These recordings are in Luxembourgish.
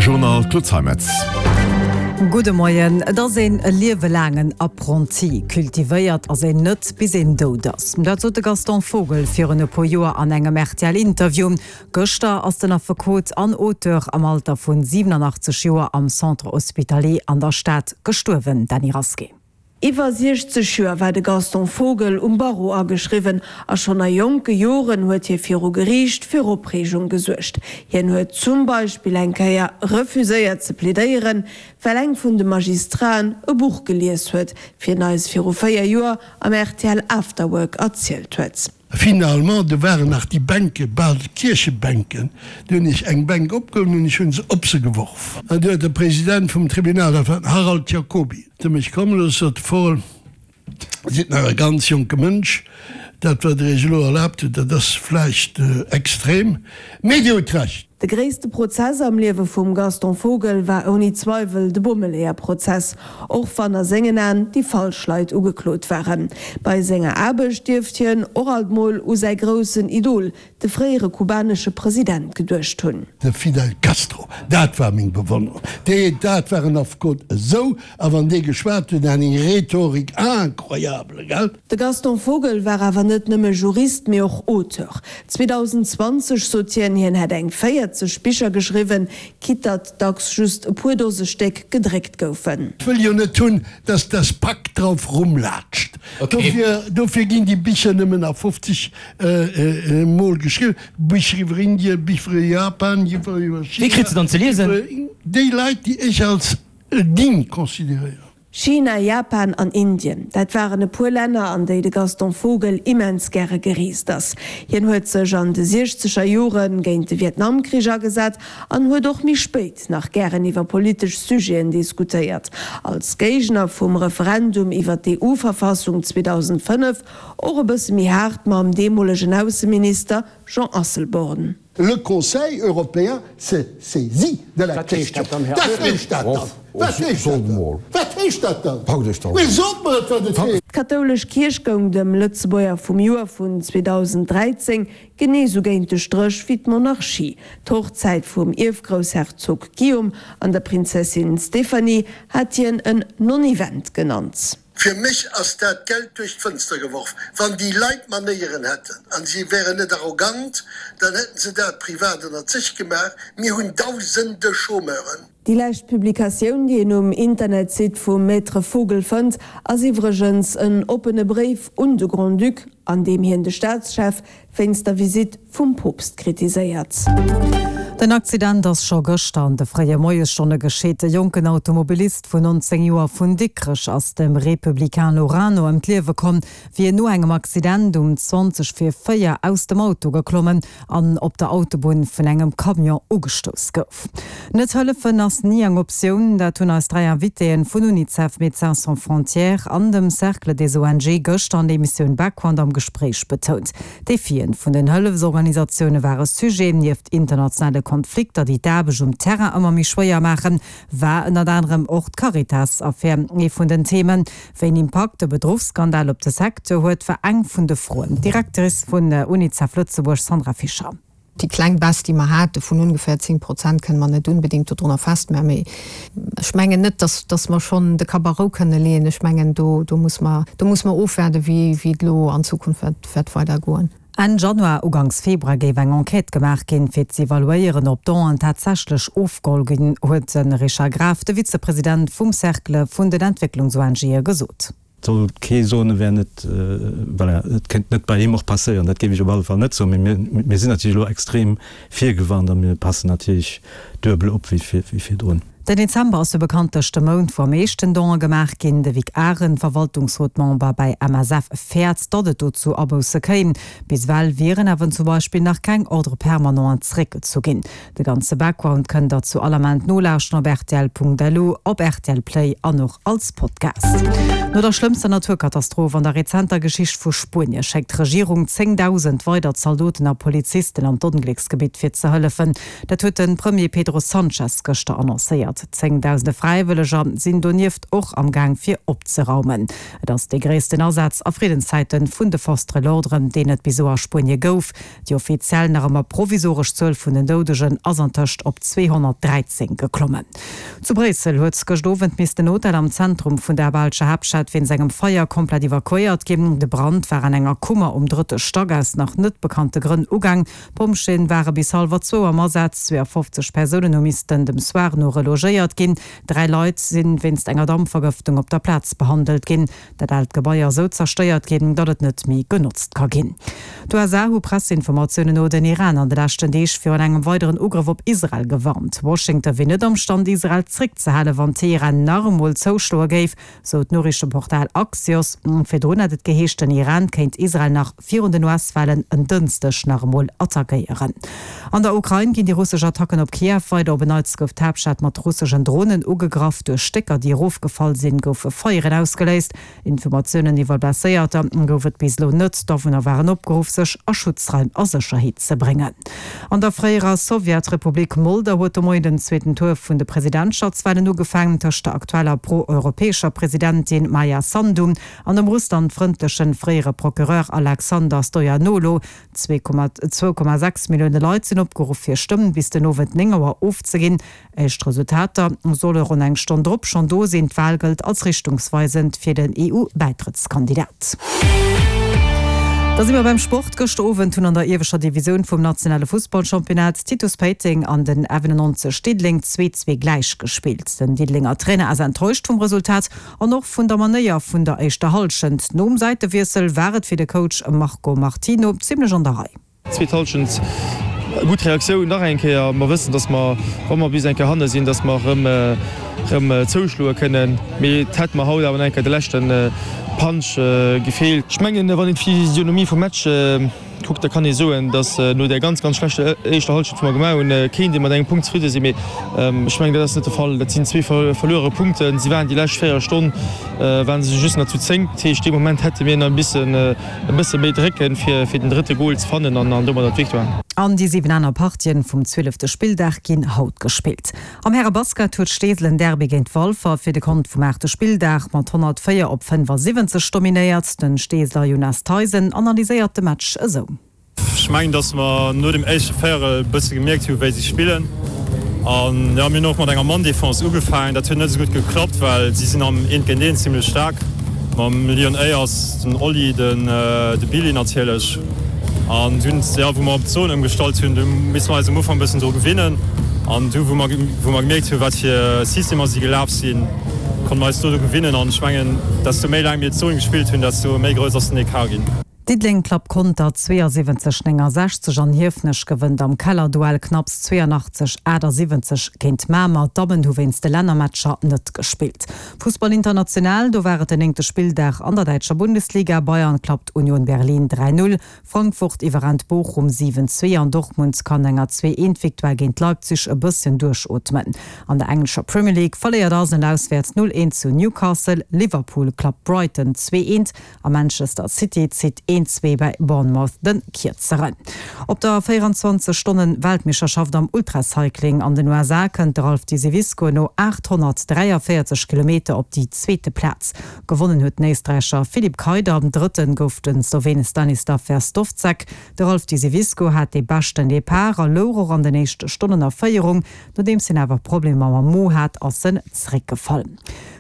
Journal Claude Zeimetz. Gudde Moien. Et ass een e Liewe laangen Apprenti. Cultivéiert ass een net, bis een dout ass. Dat sot de Gaston Vogel virun e puer Joer an engem RTL-Interview. Gëschter ass den Affekot an Auteur am Alter vun 87 Joer am Centre Hospitalier an der Stad gestuerwen. Dany Rasqué. Iwwer 60 Joer war de Gaston Vogel um Barreau ageschriwwen a schonn a jonke Joren huet hie viru Geriicht fir Opreegung gesuergt. Hien huet zum Beispill eng Kéier refuséiert ze plädéieren, well eng vun de Magistraten e Buch gelies huet, wéi en eis viru 4 Joer am rtl Afterwork erzielt huet. Finalement, do waren nach déi Bänke, bal Kierchebänken, du hunn ech eng Bänk opgeholl an ech hu se op se geworf. An du huet de President vum Tribunal, dat war den Harald Jacoby, zu mech komm gelooss, sot de Vogel, Dir sidd nach e ganz jonke Mënsch, dat wat Der Iech elo erlaabt hutt, dat ass vläicht extrem, mee Dir hutt Recht. De gréisste Prozess am Liewe vum Gaston Vogel war ouni Zweiwel de Bommeleeër-Prozess, och wann a sengen Aen déi falsch Leit ugeklot waren. Bei senger Aarbecht dierft hien och alt mol u säi groussen Idol, de fréiere kubanesche President, geduecht hunn. De Fidel Castro, dat war meng Bewonnerung. Dee, dat war en Affekot esou, a wann dee geschwat huet, eng Rhetorik incroyable, gell? De Gaston Vogel war awer net nëmme Jurist, mee och Auteur. 2020 sot hien, hien hätt eng 40 Bicher geschriwwen, quitte datt dacks just e puer Dose Stéck gedréckt goufen. Ech wëll jo net hunn, dass das Pak drauf rumlaatscht. Dofir, dofir ginn déi Bicher nëmmen a 50 Mol geschriwwen. Bicher iwwer Indien, Bicher iwwer Japan, Bicher iwwer China. Wie kritt se dann ze liesen? Déi Leit, déi ech als digne consideréieren. China, Japan an Indien, dat waren e puer Länner, an déi de Gaston Vogel immens gäre gereest ass. Hien huet sech an de siechzeger Jore géint de Vietnamkrich agesat an huet och méi spéit nach gären iwwer politesch Sujeten diskutéiert. Als Géigner vum Referendum iwwer d'EU-Verfassung 2005 och e bësse méi haart mam deemolegen Ausseminister Jean Asselborn. Le Conseil européen se saisit de la question. Wat heescht dat dann? Wat heescht dat dann? Wat heescht dat dann? Mee sot mer et, wat et heescht! D'kathoulesch Kierch goung dem Lëtzebuerger vum Joer vun 2013 genee sou géint de Stréch wéi d'Monarchie. D'Hochzäit vum Ierfgroussherzog Guillaume an der Prinzessin Stéphanie hat hien en Non-Event genannt. Fir mech ass dat Geld duerch d'Fënster geworf. Wann déi Leit Manéieren hätten an si wären net arrogant, dann hätten se dat privat ënnert sech gemaach. Mir hunn dausende Chômeuren. Déi lescht Publikatioun, déi een um Internetsite vum Maître Vogel fënnt, ass iwwregens en oppene Bréif un de Grand-Duc, an deem hien de Staatschef wéinst der Visitt vum Poopst kritiséiert. Den Accident ass scho gëschter an de fréie Moiesstonne geschitt. E jonken Automobilist vun 19 Joer vun Dikrech ass dem Republicain Lorano ëm d'Liewe komm, wéi en no engem Accident um 20 vir 4 aus dem Auto geklommen an op der Autobunn vun engem Camion ugestouss gouf. Net hëllefen ass ni eng Optioun, dat hunn eis 3 Invitéen vun Unicef, Médecins sans frontières an dem Cercle des ONG gëschter an der Emissioun Background am Gespréich betount. D'Defien vun den Hëllefsorganisatioune ware Sujet. Nieft internationale Konflikter, déi d'Aarbecht um Terrain ëmmer méi schwéier maachen, war ënnert anerem och d'Caritas-Affär ee vun den Themen. Wéi en Impakt de Bedruchsskandal op de Secteur huet, war eng vun de Froen. D'Directrice vun Unicef Lëtzebuerg, Sandra Fischer. Déi kleng Baisse, déi mer hate vun ongeféier 10 Prozent, kënne mer net unbedéngt dodrunner festmachen. Mee ech mengen net, dass, dass mer schonn de Kapp a Rou kënne leeën. Ech mengen, do, do muss mer, do muss mer ofwaarden, wéi, wéi et elo an Zukunft wäert, wäert weidergoen. Enn Januar, Uganks Februar géif eng Enquête gemaach ginn, fir z'evaluéieren, ob d'Donen tatsächlech ofgeholl ginn, huet de Richard Graf, de Vizepresident vum Cercle vun den Entwécklungs-ONGe gesot. Et soll kee soen, e wär net, voilà, et kéint net bei him och passéieren, dat géif ech op alle Fall net soen. Mee mir, mir sinn natierlech elo extrem virgewarnt a mir passen natierlech duebel op wéi virdrun. Den Dezember ass jo bekanntlech de Mount, wou am meeschten Donë gemaach ginn. De Vic Arendt, Verwaltungsrot-Member bei MSF, fäert, datt et do zu Abousse kéim. Bis ewell wieren awer zum Beispill nach keng Ordre permanenten zeréckgezu ginn. De ganze Background kënnt der zu all Ament nolauschteren op rtl.lu, op rtl Play an och als Podcast. No der schlëmmster Naturkatastroph an der rezenter Geschicht vu Spuenie schéckt d'Regierung 10.000 weider Zaldoten a Polizisten an d'Onglécksgebitt fir ze hëllefen. Dat huet de Premier Pedro Sanchez gëschter annoncéiert. Evakuéiert. Zéngdausende Fräiwëlleger sinn donieft och am Gaang fir opzeraumen. Et ass dee gréissten Asaz a Friddenszäite vun de Forces de l'ordre, deen et bis elo a Spuenie gouf. Déi offiziell nach ëmmer provisoresch Zuel vun den Doudegen ass antëscht op 213 geklommen. Zu Bréissel huet gëscht Owend missten en Hotel am Zentrum vun der belscher Haaptstad wéinst engem Feier komplett evakuéiert ginn. De Brand war an enger Kummer um drëtte Stack aus nach net bekannte Grënn ugaang. D'Pompjeeën ware bis hallwer zwou am Asaz. 52 Persounen hu missten dem Soir no relogéiert ginn. Dräi Leit si wéinst enger Dampvergëftung op der Plaz behandelt ginn. Dat aalt Gebai ass esou zerstéiert ginn, datt et net méi genotzt ka ginn. D'USA hu Presseinformatiounen no den Iran an de leschten Deeg virun engem weideren Ugrëff op Israel gewarnt. Washington wier net am Stand, Israel zréckzehalen, wann Teheran nach emol zouschloe géif, sou d'Noriichteportal Axios. Virdrun hat et geheescht, den Iran kéint Israel nach virun den US-Walen en Dënschdeg nach emol attackéieren. An der Ukrain ginn déi russesch Attacken op Kiew weider. Op en Neits gouf d'Haaptstad mat russeschen Dronen ugegraff. Duerch Stécker, déi erofgefall sinn, goufe Feieren ausgeléist. Informatiounen iwwer Blesséierter gouf et bis elo net. D'Awunner waren opgeruff, sech a Schutzraim a Sécherheet ze bréngen. An der fréierer Sowjetrepublik Moldau huet de Moien den zweeten Tour vun de Presidentschaftswalen ugefaangen. Tëscht der aktueller pro-europäescher Presidentin Maia Sandu an dem russlandfrëndlechen fréiere Procureur Alexander Stoianoglo. 2,6 Millioune Leit sinn opgeruff hir Stëmm bis den Owend 9 Auer ofzeginn. Éischt Resultater solle ronn eng Stonn drop schonn do sinn. D'Wal gëllt als richtungsweisend fir den EU-Bäitrëttskandidat. Da si mer beim Sport. Gëschter Owend hunn an der ieweschter Divisioun vum nationale Fussballchampionnat Titus Péiteng an den F91 Diddeleng 2, 2 gläich gespillt. Den Diddelenger Trainer ass enttäuscht vum Resultat An och vun der Manéier vun der éischter Hallschent nom Säitewiessel war et fir de Coach Marco Martino zimmlech an der Rei. Zweet Hallschent, gutt Reaktioun nach eng Kéier. Mer wëssen, dass mer, wa mer bis eng Kéier hanne sinn, dass mer erëm erëm zouschloe kënnen. Mee et hätt mer haut awer nach eng Kéier de leschte Punch gefeelt. Ech mengen, wann een d'Physionomie vum Match Kuckt, da kann ee soen, datt no där ganz, ganz schlechter éischter Hallschent, wou mer gemaach hunn, kéint ee mat engem Punkt zefridde sinn. Mee ech mengen, dat ass net de Fall. Dat sinn zwee verluere Punkten. Si waren déi lescht 4 Stonn ware se just nach zu 10. Dat heescht, dee Moment hätte mir nach e bëssen, e bësse méi drécken, fir, fir den drëtte Gol ze fannen an domadder d'Victoire. An déi 7 aner Partien vum zwielefte Spilldag ginn haut gespillt. Am Härebasket huet Steesel en Derby géint Walfer fir de Kont vum aachte Spilldag mat 104 op 75 dominéiert. Den Steeseler Jonas Theisen analyséiert de Match esou. Ech mengen, dass mer no dem éischte Véierel e bësse gemierkt hu wéi si spillen. An jo, mir hunn och mat enger Mann-Defense ugefaangen. Dat huet net esou gutt geklappt, well si sinn am Eent géint Eent zimmlech staark. Mam Leon Ayers, den Oli, den de Billy natierlech. An dunn, jo, wou mer op d'Zon ëmgestallt hunn, du misste mer eis um Ufank e bëssen dru gewinnen. An du, wou mer, wou mer gemierkt hunn, wat fir Systemer si gelaf sinn, konnte mer eis do dru gewinnen. An ech mengen, desto méi laang mir d'Zon gespillt hunn, desto méi grouss ass den Ecart ginn. Diddeleng klappt Conter 72, 69 an Hiefenech gewënnt am Kellerduell knapps 82, 78 géint Mamer. D'Dammen hu wéinst de Lännermatcher net gespillt. Fussball international, do war et den néngte Spilldag an der däitscher Bundesliga. Bayern klappt Union Berlin 3, 0, Frankfurt iwwerrennt Bochum 7, 2 an Dortmund kann enger 2, 1 Victoire géint Leipzig e bësschen duerchootmen. An der englescher Premier League verléiert Arsenal auswäerts 0, 1 zu Newcastle, Liverpool klappt Brighton 2, 1 A Manchester City zitt een 2 bäi Bournemouth de Kierzeren. Op der 24 Stonnen Weltmeeschterschaft am Ultracycling an den USA kënnt de Ralph Diseviscourt no 843 Kilometer op déi zweete Plaz. Gewonnen huet den Éisträicher Philipp Kaider, Drëtten gouf de Slowene Stanislav Verstovsek. De Ralph Diseviscourt hat dee beschten Depart a louch och an den éischte Stonnen a Féierung. Nodeems hien awer Problemer mam Mo hat, ass en zeréckgefall.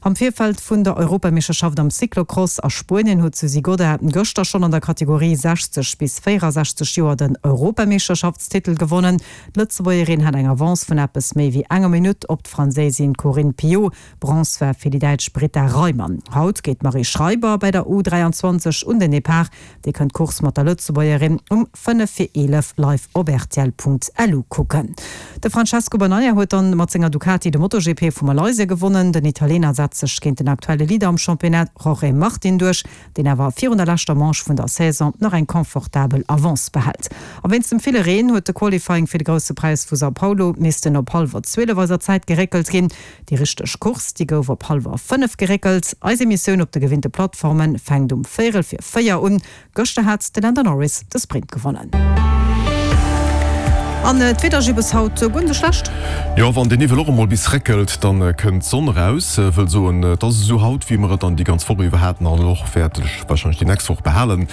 Am Virfeld vun der Europameeschterschaft am Cyclocross a Spuenien huet d'Suzy Godin gëschter schonn an der Kategorie 60 bis 64 Joer den Europameeschterschaftstitel gewonnen. D'Lëtzebuergerin hat eng Avance vun eppes méi wéi enger Minutt op d'Franséisin Corinne Piot. Bronze war fir déi Däitsch Britta Reimann. Haut geet d'Marie Schreiber bei der U 23 un den Depart. Dir kënnt d'Course mat der Lëtzebuergerin um 5 vir 11 live op rtl.lu kucken. De Francesco Bagnaia huet dann mat senger Ducati de MotoGP vu Malaysia gewonnen. Den Italiener setzt sech géint den aktuelle Leader am Championnat Jorge Martin duerch, deen awer virun der leschter Manche vun der Saison nach eng confortabel Avance behält. A wéinst dem ville Reen huet de Qualifying fir de Grousse Präis vu São Paulo missten op hallwer 12 eiser Zäit geréckelt ginn. Déi richteg Course, déi gouf op hallwer 5 geréckelt. Eis Emissioun op de gewinnte Plattforme fänkt um véierel vir 4 un. Gëschter hat de Lando Norris de Sprint gewonnen. An d'Wieder Gibbes haut guer net esou schlecht. Jo, wann den Niwwel och emol bis réckelt, dann kënnt d'Sonn eraus. Wëll soen, et ass esou haut, wéi mer et dann déi ganz Woch iwwer haten an och wäert sech warscheinlech déi nächst Woch behalen.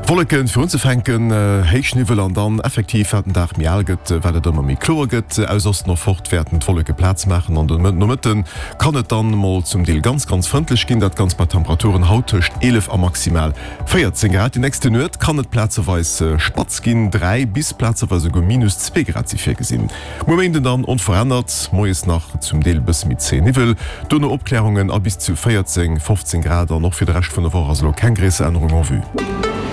Wolleken fir unzefänken, héich Niwwel an dann effektiv, wat den Dag méi al gëtt, wat et ëmmer méi kloer gëtt. Aus Osten erfort wäerten d'Wolleke Plaz maachen an de Nomëtte kann et dann mol zum Deel ganz, ganz frëndlech ginn. Dat Ganzt bei Temperaturen haut tëscht 11 a maximal 14 Grad. Déi nächste Nuet kann et plazeweis spatz ginn, 3 bis plazeweis esouguer minus 2 Grad si virgesinn. Muer Méinden dann onverännert, moies nach zum Deel e bësse méi zéi Niwwel, dono Opklärungen a bis zu 14, 15 Grad. An och fir de Rescht vun der Woch ass elo keng gréisser Ännerung en vue.